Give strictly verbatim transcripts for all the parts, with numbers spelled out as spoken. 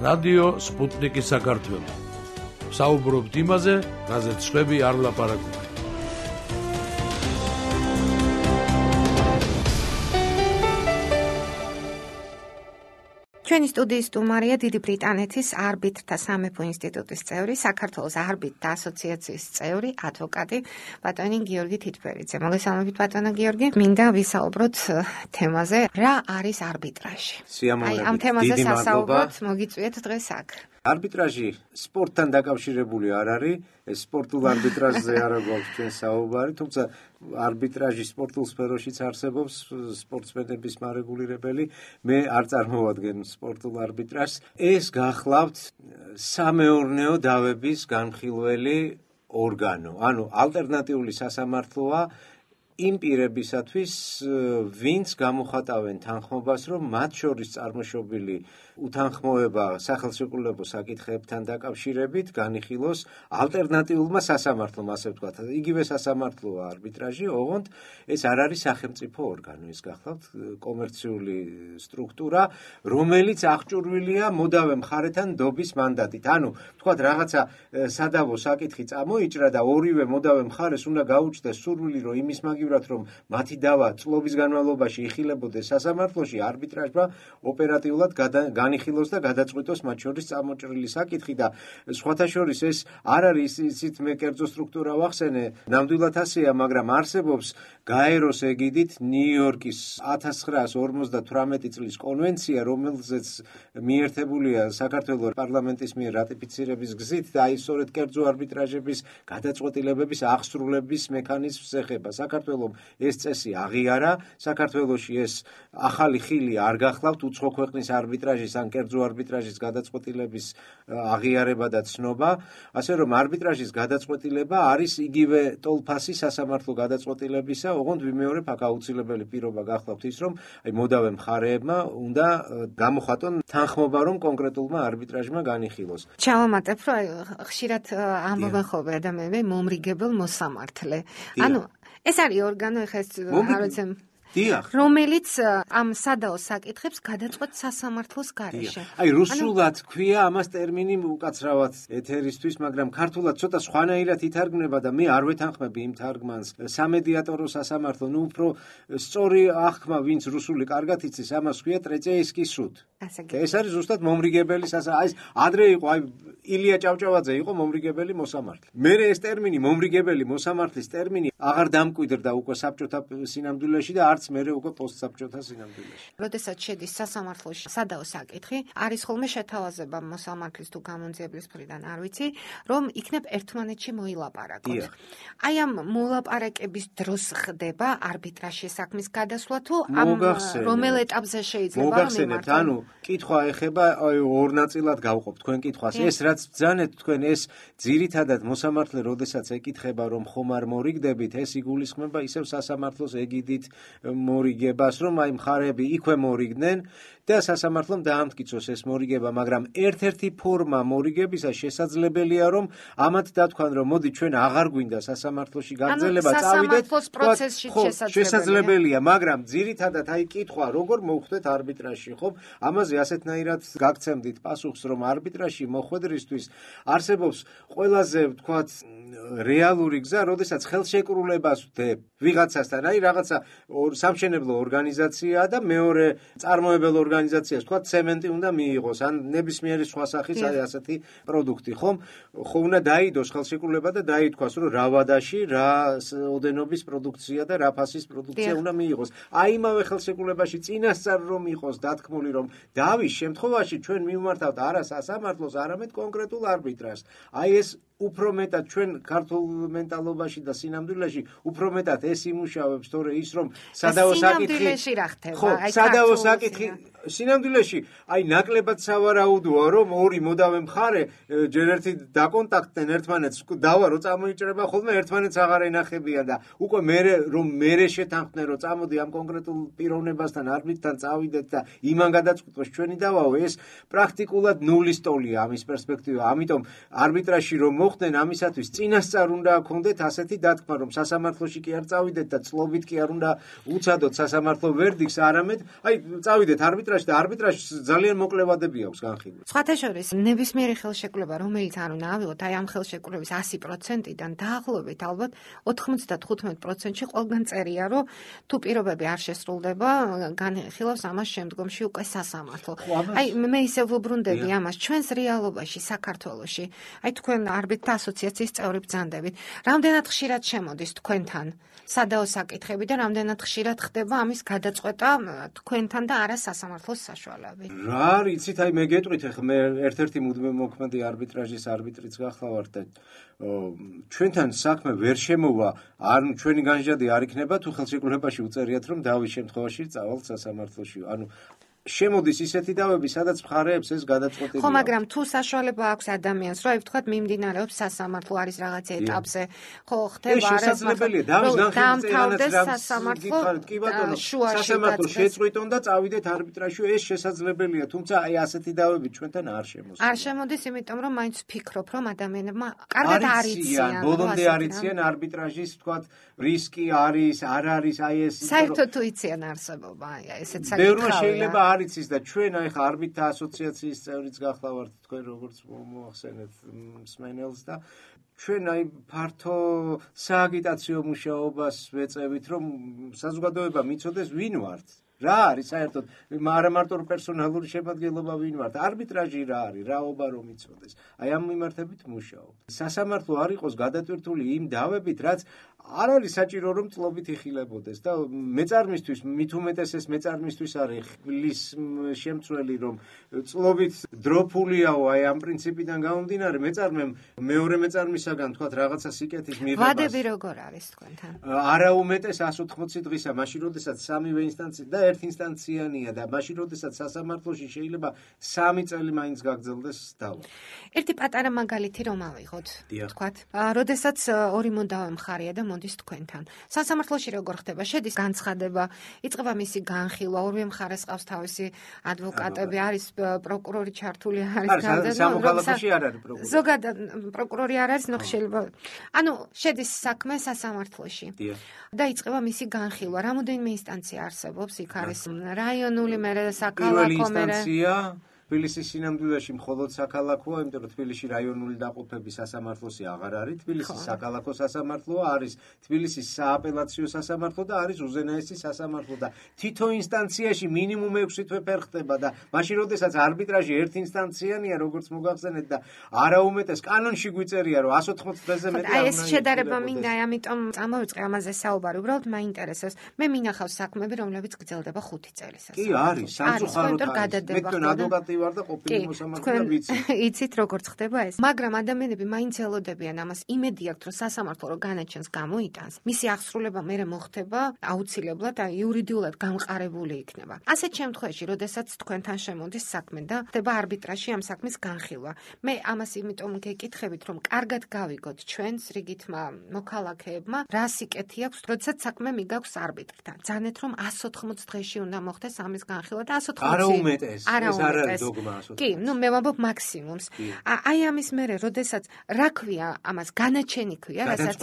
რადიო სპუტნიკი საქართველო. საუბრობთ იმაზე, რაზეც სხვები არ ლაპარაკობენ. ჩვენი სტუდიის სტუმარია დიდი ბრიტანეთის არბიტრთა სამეფო ინსტიტუტის წევრი, საქართველოს არბიტრთა ასოციაციის წევრი, ადვოკატი ბატონი გიორგი თითბერიძე. მოგესალმებით ბატონო გიორგი. მინდა ვისაუბროთ თემაზე, რა არის არბიტრაჟი. აი ამ თემაზე სასაუბროთ მოგიწვიეთ დღეს აქ. არბიტრაჟი სპორტთან დაკავშირებული არ არის, ეს სპორტულ არბიტრაჟზე არ გვაქვს ჩვენ საუბარი, თუმცა არბიტრაჟი სპორტულ სფეროშიც არსებობს, სპორტსმენების მარეგულირებელი, მე არ წარმოვადგენ სპორტულ არბიტრაჟს. ეს გახლავთ სამეურნეო დავების განხილველი ორგანო, ანუ ალტერნატიული სასამართლოა იმ პირებისათვის, ვინც გამოხატავენ თანხმობას, რომ მათ შორის წარმოშობილი უთანხმოება სახელმწიფო საკითხებთან დაკავშირებით განიხილოს ალტერნატიულმა სასამართლომ, ასე ვთქვათ. იგივე სასამართლოა არბიტრაჟი, ოღონდ ეს არ არის სახელმწიფო ორგანო, ეს გახლავთ კომერციული სტრუქტურა, რომელიც აღჭურვილია მოდავე მხარეთან ნდობის მანდატით. ანუ, ვთქვათ, რაღაცა სადავო საკითხი წამოიჭრა და ორივე მოდავე მხარეს უნდა გაუჩნდეს სურვილი, რომ იმის მაგივრად, რომ მათი დავა წლობის განმავლობაში იხილებოდეს სასამართლოში, არბიტრაჟმა ოპერატიულად განიხილოს და გადაწყვიტოს მათ შორის წამოჭრილი საკითხი და სხვათა შორის ეს არ არის ისიც მე კერძო სტრუქტურა ვახსენე, ნამდვილად ასეა, მაგრამ არსებობს გაეროს ეგიდით ნიუ-იორკის ათას ცხრაას ორმოცდათვრამეტი წლის კონვენცია, რომელზეც მიერთებულია საქართველოს პარლამენტის მიერ რატიფიცირების გზით და აი სწორედ კერძო არბიტრაჟების გადაწყვეტილებების აღსრულების მექანიზმს ეხება. საქართველოს ეს წესი აღიარა, საქართველოში ეს ახალი ხილი არ გახლავთ უცხო ქვეყნის არბიტრაჟის ან კერძო არბიტრაჟის გადაწყვეტილების აღიარება და ცნობა, ასე რომ არბიტრაჟის გადაწყვეტილება არის იგივე ტოლფასი სასამართლო გადაწყვეტილებისა, ოღონდ ვიმეორებ აქ აუცილებელი პირობა გახლავთ ის, რომ აი მოდავე მხარეებმა უნდა გამოხატონ თანხმობა, რომ კონკრეტულმა არბიტრაჟმა განიხილოს. ჩავამატებ, რომ ხშირად ამბობენ ხოლმე ადამიანები მომრიგებელ მოსამართლე. ანუ ეს არის ორგანო, ეხლა ეს არაცემ რომელიც ამ სადაო საკითხებს გადაწყვეტს სასამართლოს გარეშე. აი რუსულად ქვია ამას ტერმინი უკაცრავად ეთერისთვის, მაგრამ ქართულად ცოტა სხვანაირად ითარგმნება და მე არ ვეთანხმები იმ თარგმანს. სამედიატორო სასამართლო, ნუ უფრო სწორი აღქმა, ვინც რუსული კარგად იცის, ამას ქვია ტრეწეისკის სუд. ეს არის ზუსტად მომრიგებელი სასამართლო. აი ადრე იყო, აი ილია ჭავჭავაძე იყო მომრიგებელი მოსამართლე. მე ეს ტერმინი მომრიგებელი მოსამართლის ტერმინი აღარ დამკვიდრდა უკვე საბჭოთა სინამდვილეში და არც მერე უკვე პოსტსაბჭოთა სინამდვილეში. როდესაც შედის სასამართლოში სადაო საკითხი, არის ხოლმე შეთავაზება მოსამართლის თუ გამონძიებლის მხრიდან, არ ვიცი, რომ იქნებ ერთმანეთში მოილაპარაკოთ. აი ამ მოლაპარაკების დროს ხდება არბიტრაჟის საქმის გადასვლა თუ ამ რომელ ეტაპზე შეიძლება რომ მოგახსენებთ, ანუ კითხვა ეხება აი ორ ნაწილად გავყოფ თქვენ კითხვას. ეს რაც ბძანეთ თქვენ ეს ძირითადად მოსამართლე როდესაც ეკითხება რომ ხომ არ მორიგდებით, ეს იგულისხმება ისევ სასამართლოს ეგიდით მორიგებას, რომ აი მხარეები იქვე მორიგდნენ და სასამართლომ დაამტკიცოს ეს მორიგება, მაგრამ ერთ-ერთი ფორმა მორიგებისა შესაძლებელია, რომ ამათ დათქვან, რომ მოდი ჩვენ აღარ გვინდა სასამართლოში გაგრძელება, წავიდეთ პროცესში შესაძლებელია, მაგრამ ძირითადად აი კითხვა, როგორ მოვხვდეთ არბიტრაჟში, ხო? ამაზე ასეთნაირად გაგცემდით პასუხს, რომ არბიტრაჟში მოხვედრისთვის არსებობს ყველაზე, ვთქვათ, რეალური გზა, როდესაც ხელშეკრულებას ვდებ ვიღაცასთან, აი რაღაცა სამშენებლო ორგანიზაციაა და მეორე წარმოებელ ორგანიზაციას, თქვა ცემენტი უნდა მიიღოს, ან ნებისმიერი სხვა სახის აი ასეთი პროდუქტი, ხომ? ხო უნდა დაიდოს ხელშეკრულება და დაითქვას, რომ რა ვადაში, რა ოდენობის პროდუქცია და რა ფასის პროდუქცია უნდა მიიღოს. აი იმავე ხელშეკრულებაში წინასწარ რომ იყოს დათქმული, რომ დავის შემთხვევაში ჩვენ მივმართავთ არა სასამართლოს, არამედ კონკრეტულ არბიტრაჟს. აი ეს უფრო მეტად ჩვენ ქართულ მენტალობაში და სინამდვილეში უფრო მეტად ეს იმუშავებს, თორე ის რომ სადავო საკითხი რა ხდება? აი სადავო საკითხი სინამდვილეში აი ნაკლებად სავარაუდოა, რომ ორი მოდავე მხარე ჯერ ერთი დაკონტაქტდნენ ერთმანეთს, დავა რო წამოიჭრება ხოლმე ერთმანეთს აღარ ენახებიან და უკვე მე რომ მე შეთანხმდნენ რომ წამოდი ამ კონკრეტულ პიროვნებასთან არბიტრთან წავიდეთ და იმან გადაწყვიტოს ჩვენი დავაო, ეს პრაქტიკულად ნულის ტოლია ამის პერსპექტივა. ამიტომ არბიტრაჟში რომ მოხდნენ ამისათვის წინასწარ უნდა გქონდეთ ასეთი დათქმა, რომ სასამართლოში კი არ წავიდეთ და წლობით კი არ უნდა უცადოთ სასამართლო ვერდიქტს, არამედ აი წავიდეთ არბიტრაჟში და არბიტრაჟს ძალიან მოკლე ვადები აქვს განხილვის. სხვათა შორის ნებისმიერი ხელშეკრულება, რომელიც არ უნდა ავიღოთ, აი ამ ხელშეკრულების ასი პროცენტიდან დაახლოებით ალბათ ოთხმოცდათხუთმეტ პროცენტში ყველგან წერია, რომ თუ პირობები არ შესრულდება, განხილავს ამას შემდგომში უკვე სასამართლო. აი მე ისე ვუბრუნდები ამას ჩვენს რეალობაში საქართველოში. აი თქვენ არბიტრთა ასოციაციის წევრი ბრძანდებით. რამდენად ხშირად შემოდის თქვენთან სადაო საკითხები და რამდენად ხშირად ხდება ამის გადაწყვეტა თქვენთან და არა სასამართლოს საშუალებით. რა არის, იცით, აი მე გეტყვით, ახლა მე ერთ-ერთი მუდმივმოქმედი არბიტრაჟის არბიტრიც გახლავართ და ჩვენთან საქმე ვერ შემოვა, არ ჩვენი განჯადი არ იქნება თუ ხელშეკრულებაში უწერიათ, რომ დავის შემთხვევაში წავალთ სასამართლოში. ანუ შემოდის ისეთი დავები, სადაც მხარეებს ეს გადაწყვეტილი. ხო, მაგრამ თუ საშუალება აქვს ადამიანს, რომ აი ვთქვათ მიმდინარეობს სასამართლო არის რაღაცა ეტაპზე, ხო, ხდება არა შესაძლებელია დავის განხილვის სასამართლო კი ბატონო, სასამართლო შეწყვიტონ და წავიდეთ არბიტრაჟში, ეს შესაძლებელია, თუმცა აი ასეთი დავები ჩვენთან არ შემოსულა. არ შემოდის, იმიტომ რომ მაინც ვფიქრობ, რომ ადამიანებმა კარგად არ იციან, ბოლომდე არ იციან არბიტრაჟის, ვთქვათ, რისკი არის, არ არის, აი ეს საერთოდ თუ იციან არსებობა, აი ესეც საკითხია. ბევრმა შეიძლება არ იცის და ჩვენ აი ხა არბიტრთა ასოციაციის წევრიც გახლავართ თქვენ როგორც მოახსენეთ მსმენელს და ჩვენ აი ფართო სააგიტაციო მუშაობას ვეწევით, რომ საზოგადოება მიცოდეს ვინ ვართ. რა არის საერთოდ არა მარტო პერსონალური შემადგენლობა ვინ ვართ, არბიტრაჟი რა არის, რაობა რომ იცოდეს. აი ამ მიმართებით მუშაობ. სასამართლო არ იყოს გადატვირთული იმ დავებით, რაც არ არის საჭირო რომ წლობით იხილებოდეს და მეწარმისთვის, მით უმეტესეს მეწარმისთვის არის ხილის შემცველი, რომ წლობით დროფულიაო, აი ამ პრინციპიდან გამომდინარე, მეწარმემ მეორე მეწარმისაგან თქვათ რაღაცა სიკეთის მიღებას. ვადები როგორ არის თქვენთან? არა უმეტეს εκατს ოთხმოცი დღისა, მაშინ როდესაც სამივე ინსტანცია და ერთ ინსტანციანია და მაშინ როდესაც სასამართლოში შეიძლება სამი წელი მაინც გაგრძელდეს დავა. ერთი პატარა მაგალითი რომ ავიღოთ, თქვათ, როდესაც ორი მომდავე მხარეა და მოდის თქვენთან. სასამართლოში როგორ ხდება? შედის განცხადება, იწყება მისი განხილვა, ორივე მხარეს ყავს თავისი ადვოკატები, არის პროკურორი ჩართული, არის განცხადება. სამოქალაქოში არ არის პროკურორი. ზოგადად პროკურორი არ არის, ნუ შეიძლება. ანუ შედის საქმე სასამართლოში. და იწყება მისი განხილვა. რამოდენიმე ინსტანცია არსებობს, იქ არის რაიონული, მერე საქალაქო, მერე თბილისის სინამდვილეში მხოლოდ საქალაქოა, იმიტომ რომ თბილისში რაიონული დაყოფები სასამართლოსი აღარ არის, თბილისის საქალაქო სასამართლოა, არის თბილისის სააპელაციო სასამართლო და არის უზენაესი სასამართლო და თითო ინსტანციაში მინიმუმ ექვსი თვე ფერ ხდება და მაშინ როდესაც არბიტრაჟი ერთ ინსტანციანია, როგორც მოგახსენეთ და არაუმეტეს კანონში გვიწერია, რომ εκατს ოთხმოცი დღეზე მეტი არ უნდა. აი ეს შედარება მინდა, ამიტომ წამოვიწყე ამაზე საუბარი, უბრალოდ მაინტერესებს. მე მინახავს საქმეები, რომლებიც გრძელდება ხუთი წელი სასამართლოში. კი არის, სამწუხაროდ არის. მე თქვენ ადვოკატი ვარ და ყოფილი მოსამართლე ვიცი. იცით როგორც ხდება ეს. მაგრამ ადამიანები მაინც ელოდებიან ამას, იმედი აქვთ, რომ სასამართლო რო განაჩენს გამოიტანს, მისი აღსრულება მერე მოხდება აუცილებლად, აი იურიდიულად გამყარებული იქნება. ასეთ შემთხვევაში, როდესაც თქვენთან შემოდის საქმე და ხდება არბიტრაჟში ამ საქმის განხილვა. მე ამას იმიტომ გეკითხებით, რომ კარგად გავიგოთ ჩვენს რიგითმა მოქალაქეებმა, რა სიკეთი აქვს, როდესაც საქმე მიგაქვს არბიტრთან. ძანეთ რომ εκατს ოთხმოცი დღეში უნდა მოხდეს ამის განხილვა და εκατს ოთხმოცი არა უმეტეს. ეს არ არის დოგმა. კი, ნუ მე ვამბობ მაქსიმუმს. აი ამის მერე, როდესაც რა ქვია ამას განაჩენი ქვია, რასაც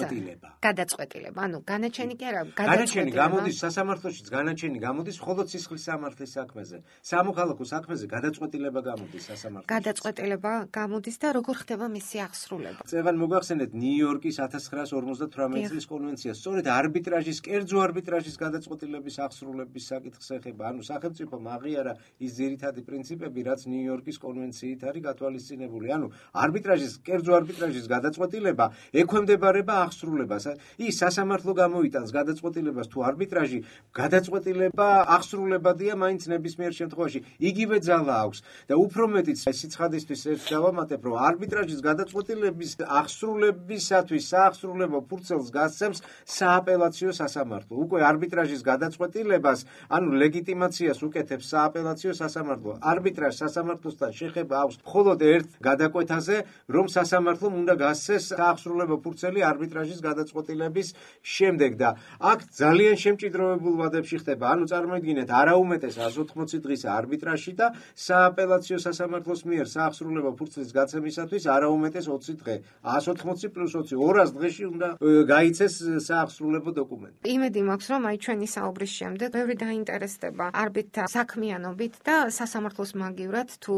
გადაწყვეტილება. ანუ განაჩენი კი არა, გადაწყვეტილება. განაჩენი გამოდის სასამართლოშიც, განაჩენი გამოდის მხოლოდ სისხლის სამართლის საქმეზე. სამოქალაქო საქმეზე გადაწყვეტილება გამოდის სასამართლოში. გადაწყვეტილება გამოდის და როგორ ხდება მისი აღსრულება? წევან მოგახსენეთ ნიუ-იორკის ექვსი ათას ორმოცდათვრამეტი წლის კონვენცია, სწორედ არბიტრაჟის, კერძო არბიტრაჟის გადაწყვეტილების აღსრულების საკითხს ეხება. ანუ სახელმწიფომ აღიარა ის ძირითადი პრინციპები, რაც ნიუ-იორკის კონვენციით არის გათვალისწინებული. ანუ არბიტრაჟის, კერძო არბიტრაჟის გადაწყვეტილება ექვემდებარება აღსრულებას. ის სასამართლო გამოიტანს გადაწყვეტილებას თუ არბიტრაჟი გადაწყვეტილება აღსრულებადია მაინც ნებისმიერ შემთხვევაში. იგივე ძალა აქვს და უფრო მეტიც სიცხადისთვის ერთ დავამატებ, რომ არბიტრაჟის გადაწყვეტილების აღსრულებისათვის საახსრულებო ფურცელს გასცემს სააპელაციო სასამართლო. უკვე არბიტრაჟის გადაწყვეტილებას, ანუ ლეგიტიმაციას უკეთებს სააპელაციო სასამართლო. არბიტრაჟს სასამართლოსთან შეხება აქვს მხოლოდ ერთ გადაკვეთაზე, რომ სასამართლომ უნდა გასცეს საახსრულებო ფურცელი არბიტრაჟის გადაწყვეტილების შემდეგ და აქ ძალიან შემჭიდროვებულ ვადებში ხდება. ანუ წარმოიდგინეთ, არაუმეტეს ას ოთხმოცი დღის არბიტრაჟი და სააპელაციო სასამართლოს მიერ საახსრულებო ფურცლის გაცემისათვის არაუმეტეს ოცი დღე. ას ოთხმოცი პლუს ოცი ორას დღეში უნდა გაიცეს საახსრულებო დოკუმენტი. იმედი მაქვს, რომ აი ჩვენი საუბრის შემდეგ ბევრი დაინტერესდება არბიტრთა საქმიანობით და სასამართლოს მაგივრად თუ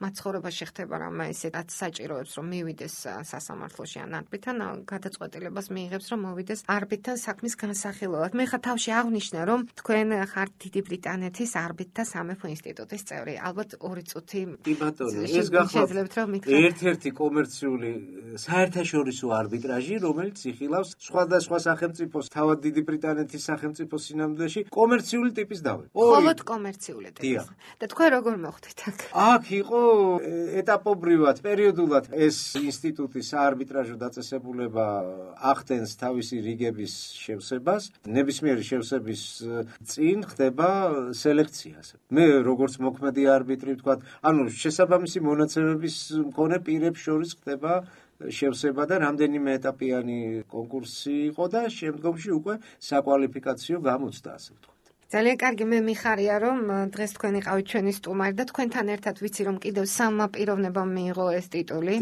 მათ ცხოვრებაში ხდება რამე ისედაც საჭიროებს, რომ მივიდეს სასამართლოში ან არბიტრთან გადაწყვეტილებას მიიღებს, რომ მოვიდეს არბიტრთან საქმის განსახილველად. მე ხა თავში აღვნიშნე, რომ თქვენ ხართ დიდი ბრიტანეთის არბიტრთა სამეფო ინსტიტუტის წევრი. ალბათ ორი წუთი კი ბატონო, ეს გახლავთ ერთ-ერთი კომერციული საერთაშორისო არბიტრაჟი, რომელიც იხილავს სხვადასხვა სახელმწიფოს, თავად დიდი ბრიტანეთის სახელმწიფოს სინამდვილეში კომერციული ტიპის დავი. მხოლოდ კომერციული ტიპის. და თქვენ როგორ მოხვდით აქ? აქ იყო ეტაპობრივად, პერიოდულად ეს ინსტიტუტი საარბიტრაჟო დაწესებულება ახდენს თავისი რიგების შევსებას. ნებისმიერი შევსების წინ ხდება სელექცია. მე როგორც მოქმედი არბიტრი ვთქვათ, ანუ შესაბამისი მონაცემების მქონე პირებს შორის ხდება შევსება და რამდენიმე ეტაპიანი კონკურსი იყო და შემდგომში უკვე საკვალიფიკაციო გამოცდა, ასე ვთქვათ. ძალიან კარგი, მე მიხარია, რომ დღეს თქვენ იყავით ჩვენი სტუმარი და თქვენთან ერთად ვიცი, რომ კიდევ სამმა პიროვნებამ მიიღო ეს ტიტული,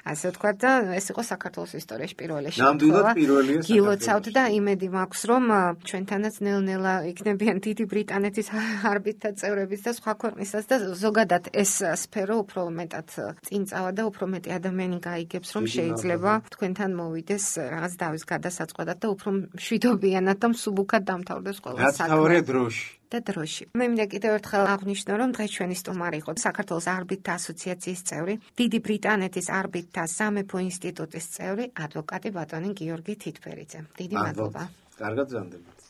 ასე ვთქვათ და ეს იყო საქართველოს ისტორიაში პირველი შემთხვევა. ნამდვილად პირველია საქართველოში. გილოცავთ და იმედი მაქვს, რომ ჩვენთანაც ნელ-ნელა იქნებიან დიდი ბრიტანეთის არბიტრთა წევრებიც და სხვა ქვეყნისაც და ზოგადად ეს სფერო უფრო მეტად წინ წავა და უფრო მეტი ადამიანი გაიგებს, რომ შეიძლება თქვენთან მოვიდეს რაღაც დავის გადასაწყვეტად და უფრო მშვიდობიანად და მსუბუქად დამთავრდეს ყველა საქმე. და დროში. მე მინდა კიდევ ერთხელ აღვნიშნო, რომ დღეს ჩვენი სტუმარი იყო საქართველოს არბიტრთა ასოციაციის წევრი, დიდი ბრიტანეთის არბიტრთა სამეფო ინსტიტუტის წევრი, ადვოკატი ბატონი გიორგი თითბერიძე. დიდი მადლობა. კარგად გზავნდებათ.